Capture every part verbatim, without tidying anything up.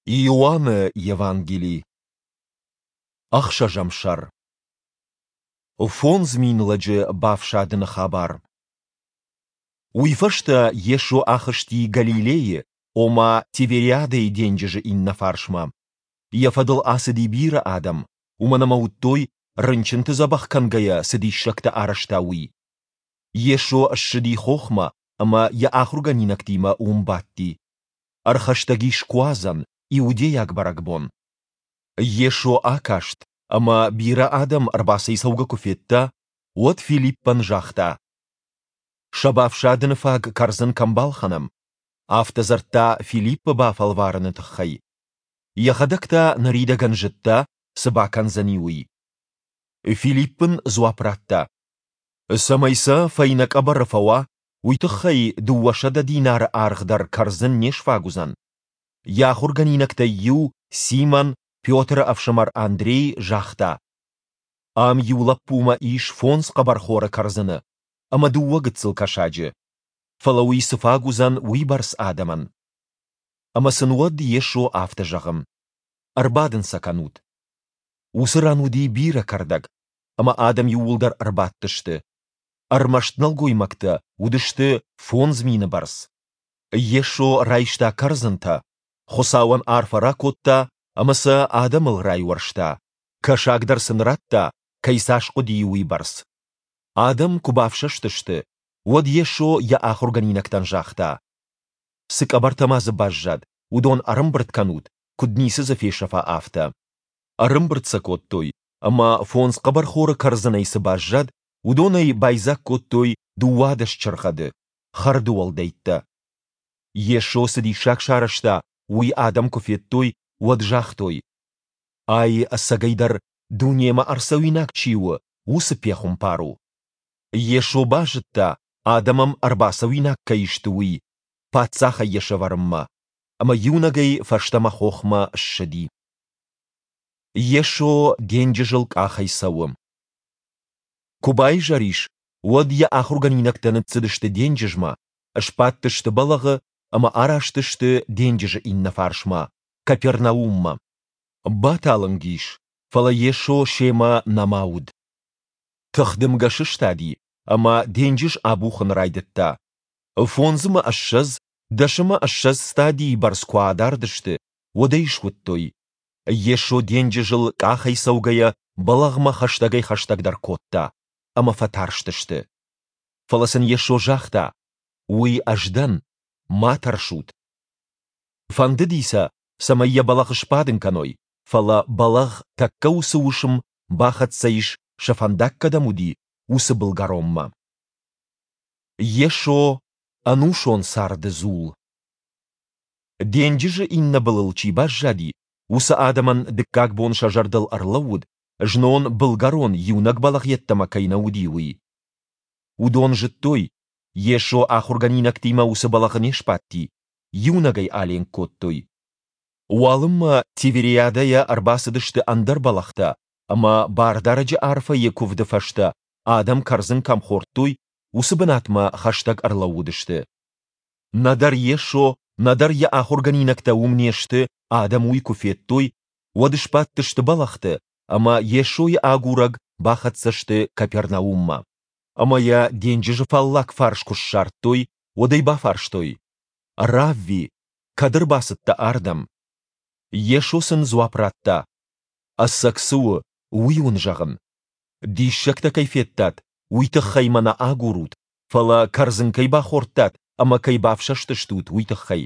Иоанны Евангели, ӕхсӕзӕм сӕр. Фондз мин лӕджы бафсадыны хабар. Уый фӕстӕ Йесо ахызти Галилейы, ома Тивериадӕйы денджызы иннӕ фарсмӕ. Йӕ фӕдыл ацыди бирӕ адӕм, уымӕн ӕмӕ уыдтой, рынчынты дзӕбӕх кӕнгӕйӕ цы диссӕгтӕ арӕзта, уый. Йесо ссыди хохмӕ ӕмӕ йӕ ахуыргӕнинӕгтимӕ уым бадти. Ӕрхӕстӕг ис Куадзӕн, иудейаг бӕрӕгбон. Йесо акаст, ӕмӕ бирӕ адӕм ӕрбацӕйцӕугӕ куы федта, уӕд Филиппӕн загъта: Сӕ бафсадыны фаг кӕрдзын кӕм балхӕнӕм? Афтӕ дзырдта Филиппы бафӕлварыны тыххӕй. Йӕхӕдӕг та ныридӕгӕн зыдта, цы бакӕндзӕни, уый. Филипп ын дзуапп радта: Цӕмӕй сӕ фӕйнӕ къӕбӕры фӕуа, уый тыххӕй дыууӕсӕдӕ динары аргъ дӕр кӕрдзын не сфаг уыдзӕн. Йӕ ахуыргӕнинӕгтӕй иу, Симон, Петры ӕфсымӕр Андрей, загъта: Ам иу лӕппумӕ ис фондз хъӕбӕрхоры кӕрдзыны ӕмӕ дыууӕ гыццыл кӕсаджы. Фӕлӕ уый цы фаг уыдзӕн уыйбӕрц адӕмӕн? Ӕмӕ сын уӕд Йесо афтӕ зӕгъы: Ӕрбадын сӕ кӕнут. Уыцы ран уыди бирӕ кӕрдӕг, ӕмӕ адӕм иууылдӕр ӕрбадтысты. Ӕрмӕст нӕлгоймӕгтӕ уыдысты фондз мины бӕрц. Йесо райста кӕрдзынтӕ, Хуыцауӕн арфӕ ракодта ӕмӕ сӕ адӕмыл райуӕрста, кӕсаг дӕр сын радта, кӕй цас хъуыди, уыйбӕрц. Адӕм куы бафсӕстысты, уӕд Йесо йӕ ахуыргӕнинӕгтӕн загъта: Цы къӕбӕртӕ ма дзы баззад, уыдон ӕрӕмбырд кӕнут, куыд ницы дзы фесӕфа, афтӕ. Ӕрӕмбырд сӕ кодтой, ӕмӕ фондз хъӕбӕрхоры кӕрдзынӕй цы баззад, уыдонӕй байдзаг кодтой дыууадӕс чыргъӕды, хӕрды уӕлдӕйттӕ. Йесо цы диссаг сарӕзта, уый адӕм куы федтой, уӕд загътой: Ай ӕцӕгӕйдӕр дунемӕ ӕрцӕуинаг чи у, уыцы пехуымпар у. Йесо базыдта, адӕм ӕм ӕрбацӕуинаг кӕй сты, уый, паддзахӕй йӕ сӕвӕрынмӕ, ӕмӕ иунӕгӕй фӕстӕмӕ хохмӕ ссыди. Йесо денджызыл къахӕй цӕуы. Куы баизӕр ис, уӕд йӕ ахуыргӕнинӕгтӕ ныццыдысты денджызмӕ, сбадтысты бӕлӕгъы ӕмӕ араст сты денджызы иннӕ фарсмӕ, Капернауммӕ. Баталынг ис, фӕлӕ Йесо семӕ нӕма уыд. Тыхдымгӕ сыстади, ӕмӕ денджыз абухын райдыдта. Фондз ӕмӕ ссӕдз, дӕс ӕмӕ ссӕдз стадийы бӕрц куы адард сты, уӕд ӕй суыдтой. Йесо денджызыл къахӕй цӕугӕйӕ бӕлӕгъмӕ хӕстӕгӕй-хӕстӕгдӕр кодта, ӕмӕ фӕтарстысты. Фӕлӕ сын Йесо загъта: Уый Ӕз дӕн, ма тӕрсут. Фӕндыди сӕ, цӕмӕй йӕ бӕлӕгъы сбадын кӕной, фӕлӕ бӕлӕгъ тӕккӕ уыцы уысм бахӕццӕ ис, сӕ фӕндаг кӕдӕм уыди, уыцы былгӕронмӕ. Йесо – ӕнусон царды дзул. Денджызы иннӕ былыл чи баззади, уыцы адӕмӕн дыккаг бон сӕ зӕрдыл ӕрлӕууыд, знон былгӕрон иунӕг бӕлӕгъ йеддӕмӕ кӕй нӕ уыди, уый. Уыдон зыдтой, Йесо ахуыргӕнинӕгтимӕ уыцы бӕлӕгъы не сбадти, иунӕгӕй аленк кодтой. Уалынмӕ Тивериадӕйӕ ӕрбацыдысты ӕндӕр бӕлӕгътӕ, ӕмӕ Бардарӕджы арфӕйы куывды фӕстӕ адӕм кӕрдзын кӕм хордтой, уыцы бынатмӕ хӕстӕг ӕрлӕууыдысты. Нӕдӕр Йесо, нӕдӕр йӕ ахуыргӕнинӕгтӕ уым не сты, адӕм уый куы федтой, уӕд сбадтысты бӕлӕгъты ӕмӕ Йесойы агурӕг бахӕццӕ сты Капернауммӕ. Ӕмӕ йӕ денджызы фаллаг фарс куы ссардтой, уӕд ӕй бафарстой: Равви, кӕд ӕрбацыдтӕ ардӕм? Йесо сын дзуапп радта: Ӕцӕг цы у, уый уын зӕгъын. Диссӕгтӕ кӕй федтат, уый тыххӕй мӕ нӕ агурут, фӕлӕ кӕрдзын кӕй бахордтат ӕмӕ кӕй бафсӕстыстут, уый тыххӕй.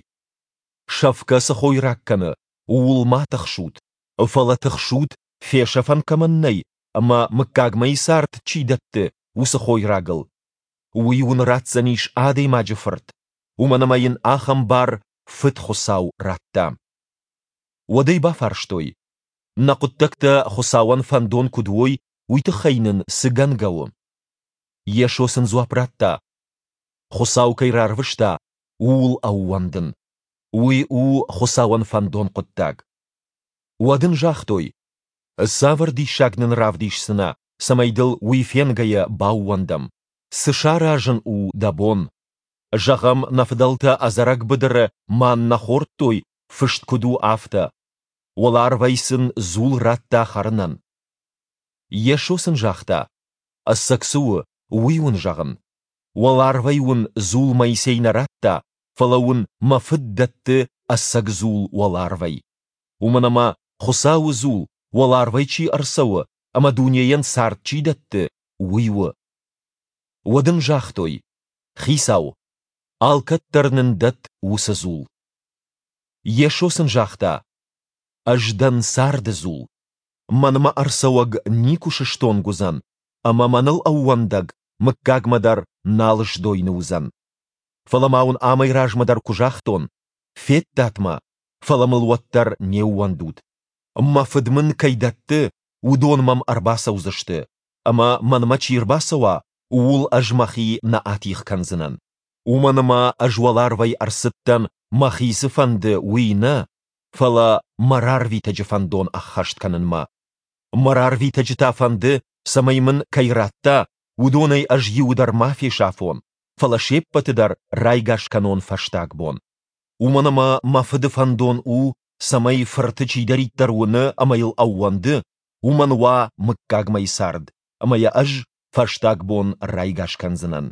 Сӕфгӕ цы хойраг кӕны, ууыл ма тыхсут, фӕлӕ тыхсут, фесӕфӕн кӕмӕн нӕй ӕмӕ мыггагмӕйы цард чи дӕтты, уыцы хойрагыл. Уый уын ратдзӕнис Адӕймаджы Фырт, уымӕн ӕмӕ йын ахӕм бар Фыд Хуыцау радта. Уӕд ӕй бафарстой: Нӕ хъуыддӕгтӕ Хуыцауӕн фӕндон куыд уой, уый тыххӕй нын цы гӕнгӕ у? Йесо сын дзуапп радта: Хуыцау кӕй рарвыста, ууыл ӕууӕндын. Уый у Хуыцауӕн фӕндон хъуыддаг. Уӕд ын загътой: Цавӕр диссаг нын равдисдзынӕ, цӕмӕй дыл уый фенгӕйӕ баууӕндӕм? Цы саразын у дӕ бон? Зӕгъӕм, нӕ фыдӕлтӕ ӕдзӕрӕг быдыры маннӕ хордтой Фыст куыд у, афтӕ: Уӕларвӕй сын дзул радта хӕрынӕн. Йесо сын загъта: Ӕцӕг цы у, уый уын зӕгъын: уӕларвӕй уын дзул Моисей нӕ радта, фӕлӕ уын мӕ Фыд дӕтты ӕцӕг дзул уӕларвӕй. Уымӕн ӕмӕ Хуыцауы дзул, уӕларвӕй чи ӕрцӕуы ӕмӕ дунейӕн цард чи дӕтты, уый у. Уӕд ын загътой: Хицау, алкӕддӕр нын дӕтт уыцы дзул. Йесо сын загъта: Ӕз дӕн царды дзул. Мӕнмӕ ӕрцӕуӕг никуы сыстонг уыдзӕн, ӕмӕ мӕныл ӕууӕндӕг мыггагмӕ дӕр нал сдойны уыдзӕн. Фӕлӕ ма уын амӕй размӕ дӕр куы загътон: федтат мӕ, фӕлӕ мыл уӕддӕр не ууӕндут. Мӕ Фыд мын кӕй дӕтты, уыдон мӕм ӕрбацӕудзысты, ӕмӕ мӕнмӕ чи рбацӕуа, ууыл ӕз мӕхи нӕ атигъ кӕндзынӕн. Уымӕн ӕмӕ ӕз уӕларвӕй ӕрцыдтӕн, мӕхи цы фӕнды, уый нӕ, фӕлӕ мӕ рарвитӕджы фӕндон ӕххӕст кӕнынмӕ. Мӕ рарвитӕджы та фӕнды, цӕмӕй мын кӕй радта, уыдонӕй ӕз иуы дӕр ма фесафон, фӕлӕ се ппӕты дӕр райгас кӕнон фӕстаг бон. Уымӕн ӕмӕ мӕ Фыды фӕндон у, цӕмӕй Фырты чидӕриддӕр уыны ӕмӕ йыл ӕууӕнды, уымӕн уа мыггагмӕйы цард, ӕмӕ йӕ ӕз фӕстаг бон райгас кӕндзынӕн.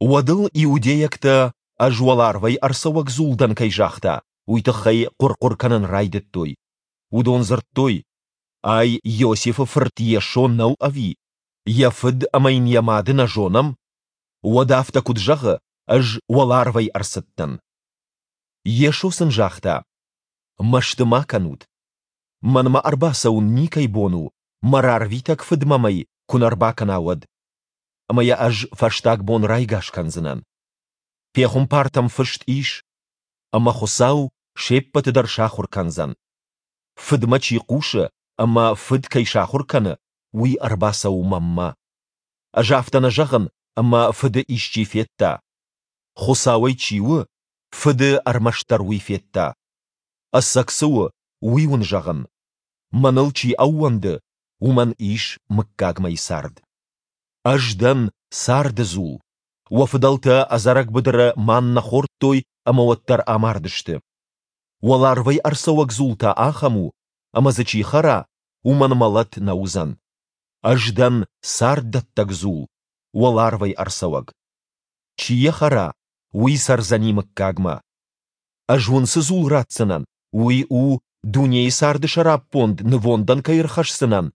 Уӕд ыл иудейӕгтӕ, ӕз уӕларвӕй ӕрцӕуӕг дзул дӕн кӕй загъта, уый тыххӕй хъуыр-хъуыр кӕнын райдыдтой. Уыдон дзырдтой: Ай Иосифы фырт Йесо нӕу ӕви? Йӕ фыд ӕмӕ йын йӕ мады нӕ зонӕм? Уӕд афтӕ куыд зӕгъы, ӕз уӕларвӕй ӕрцыдтӕн? Йесо сын загъта: Мӕсты ма кӕнут. Мӕнмӕ ӕрбацӕуын никӕй бон у, мӕ рарвитӕг Фыд мӕм ӕй куы нӕ рбакӕна, уӕд. Ӕмӕ йӕ ӕз фӕстаг бон райгас кӕндзынӕн. Пехуымпартӕм фыст ис: ӕмӕ Хуыцау се ппӕты дӕр сахуыр кӕндзӕн. Фыдмӕ чи хъусы ӕмӕ Фыд кӕй сахуыр кӕны, уый ӕрбацӕуы мӕнмӕ. Ӕз афтӕ нӕ зӕгъын, ӕмӕ Фыды исчи федта. Хуыцауӕй чи у, Фыды ӕрмӕстдӕр уый федта. Ӕцӕг цы у, уый уын зӕгъын: мӕныл чи ӕууӕнды, уымӕн ис мыггагмӕйы цард. Ӕз дӕн царды дзул. Уӕ фыдӕлтӕ ӕдзӕрӕг быдыры маннӕ хордтой ӕмӕ уӕддӕр амардысты. Уӕларвӕй ӕрцӕуӕг дзул та ахӕм у, ӕмӕ дзы чи хӕра, уымӕн мӕлӕт нӕ уыдзӕн. Ӕз дӕн царддӕттӕг дзул, уӕларвӕй ӕрцӕуӕг. Чи йӕ хӕра, уый цӕрдзӕни мыггагмӕ. Ӕз уын цы дзул ратдзынӕн, уый у, дунейы царды сӕраппонд нывондӕн кӕй ӕрхӕсдзынӕн,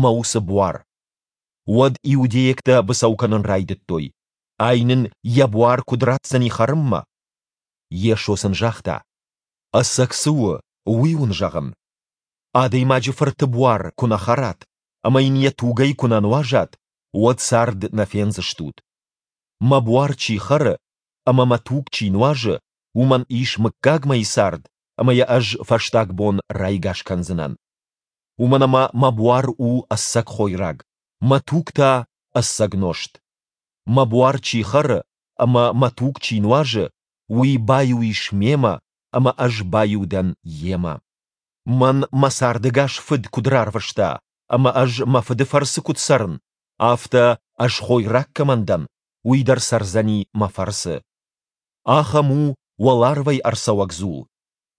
мӕ уыцы буар. Уӕд иудейӕгтӕ быцӕу кӕнын райдыдтой: Ай нын йӕ буар куыд ратдзӕни хӕрынмӕ? Йесо сын загъта: Ӕцӕг цы у, уый уын зӕгъын: Адӕймаджы Фырты буар куы нӕ хӕрат ӕмӕ йын йӕ тугӕй куы нӕ нуазат, уӕд цард нӕ фендзыстут. Мӕ буар чи хӕры ӕмӕ мӕ туг чи нуазы, уымӕн ис мыггагмӕйы цард, ӕмӕ йӕ ӕз фӕстаг бон райгас кӕндзынӕн. Уымӕн ӕмӕ мӕ буар у ӕцӕг хойраг, мӕ туг та ӕцӕг нозт. Мӕ буар чи хӕры ӕмӕ мӕ туг чи нуазы, уый баиу ис мемӕ, ӕмӕ ӕз баиу дӕн йемӕ. Мӕн мӕ цардӕгас Фыд куыд рарвыста, ӕмӕ ӕз мӕ Фыды фӕрцы куыд цӕрын, афтӕ, ӕз хойраг кӕмӕн дӕн, уый дӕр цӕрдзӕни мӕ фӕрцы. Ахӕм у уӕларвӕй ӕрцӕуӕг дзул.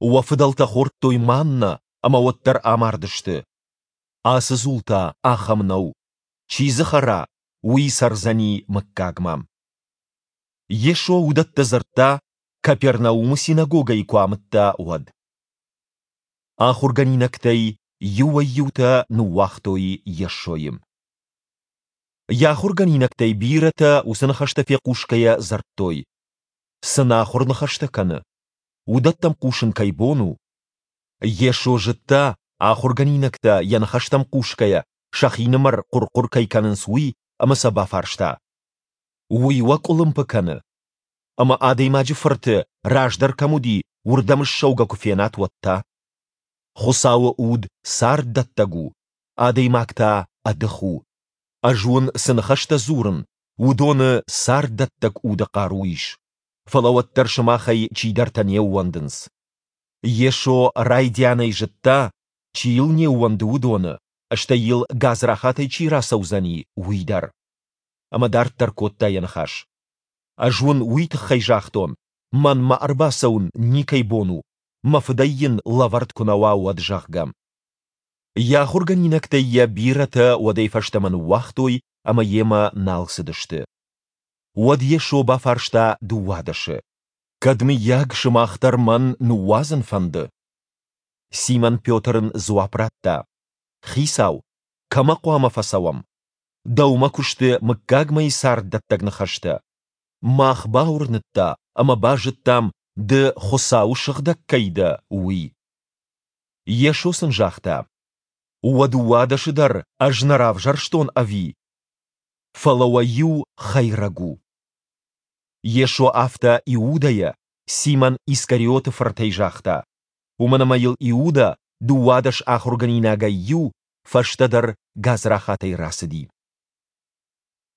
Уӕ фыдӕлтӕ хордтой маннӕ ӕмӕ уӕддӕр амардысты. Ацы дзул та ахӕм нӕу. Чи дзы хӕра, уый цӕрдзӕни мыггагмӕ. Йесо уыдӕттӕ дзырдта, Капернаумы синагогӕйы куы амыдта, уӕд. Ахуыргӕнинӕгтӕй иуӕй-иутӕ ныууагътой Йесойы. Йӕ ахуыргӕнинӕгтӕй бирӕтӕ уыцы ныхӕстӕ фехъусгӕйӕ дзырдтой: Цы нахуыр ныхӕстӕ кӕны! Уыдӕттӕм хъусын кӕй бон у? Йесо зыдта, ахуыргӕнинӕгтӕ йӕ ныхӕстӕм хъусгӕйӕ сӕхинымӕр хъуыр-хъуыр кӕй кӕнынц, уый, ӕмӕ сӕ бафарста: Уый уӕ къуылымпы кӕны? Ӕмӕ Адӕймаджы Фырты, раздӕр кӕм уыди, уырдӕм ссӕугӕ куы фенат, уӕд та? Хуыцауы Уд царддӕттӕг у, адӕймаг та ӕдых у. Ӕз уын цы ныхӕстӕ дзурын, уыдоны царддӕттӕг уды хъару ис. Фӕлӕ уӕддӕр сымахӕй чидӕртӕ не ууӕндынц. Йесо райдианӕй зыдта, чи йыл не ууӕнды, уыдоны, стӕй йыл гадзрахатӕй чи рацӕудзӕни, уый дӕр. Ӕмӕ дарддӕр кодта йӕ ныхас: Ӕз уын уый тыххӕй загътон, мӕнмӕ ӕрбацӕуын никӕй бон у, мӕ Фыдӕй йын лӕвӕрд куы нӕ уа, уӕд, зӕгъгӕ. Йӕ ахуыргӕнинӕгтӕй йӕ бирӕтӕ уӕдӕй фӕстӕмӕ ныууагътой ӕмӕ йемӕ нал цыдысты. Уӕд Йесо бафарста дыууадӕсы: Кӕд, мыййаг, сымах дӕр мӕн ныууадзын фӕнды? Симон Петр ын дзуапп радта: Хицау, кӕмӕ хъуамӕ фӕцӕуӕм? Дӕумӕ куы сты мыггагмӕйы царддӕттӕг ныхӕстӕ. Мах бауырныдта ӕмӕ базыдтам, Ды Хуыцауы Сыгъдӕг кӕй дӕ, уый. Йесо сын загъта: Уӕ дыууадӕсы дӕр Ӕз нӕ равзӕрстон, ӕви? Фӕлӕ уӕ иу хӕйрӕг у. Йесо афтӕ Иудӕйӕ, Симон Искариоты фыртӕй загъта, уымӕн ӕмӕ йыл Иудӕ, дыууадӕс ахуыргӕнинагӕй иу, фӕстӕдӕр гадзрахатӕй рацыди.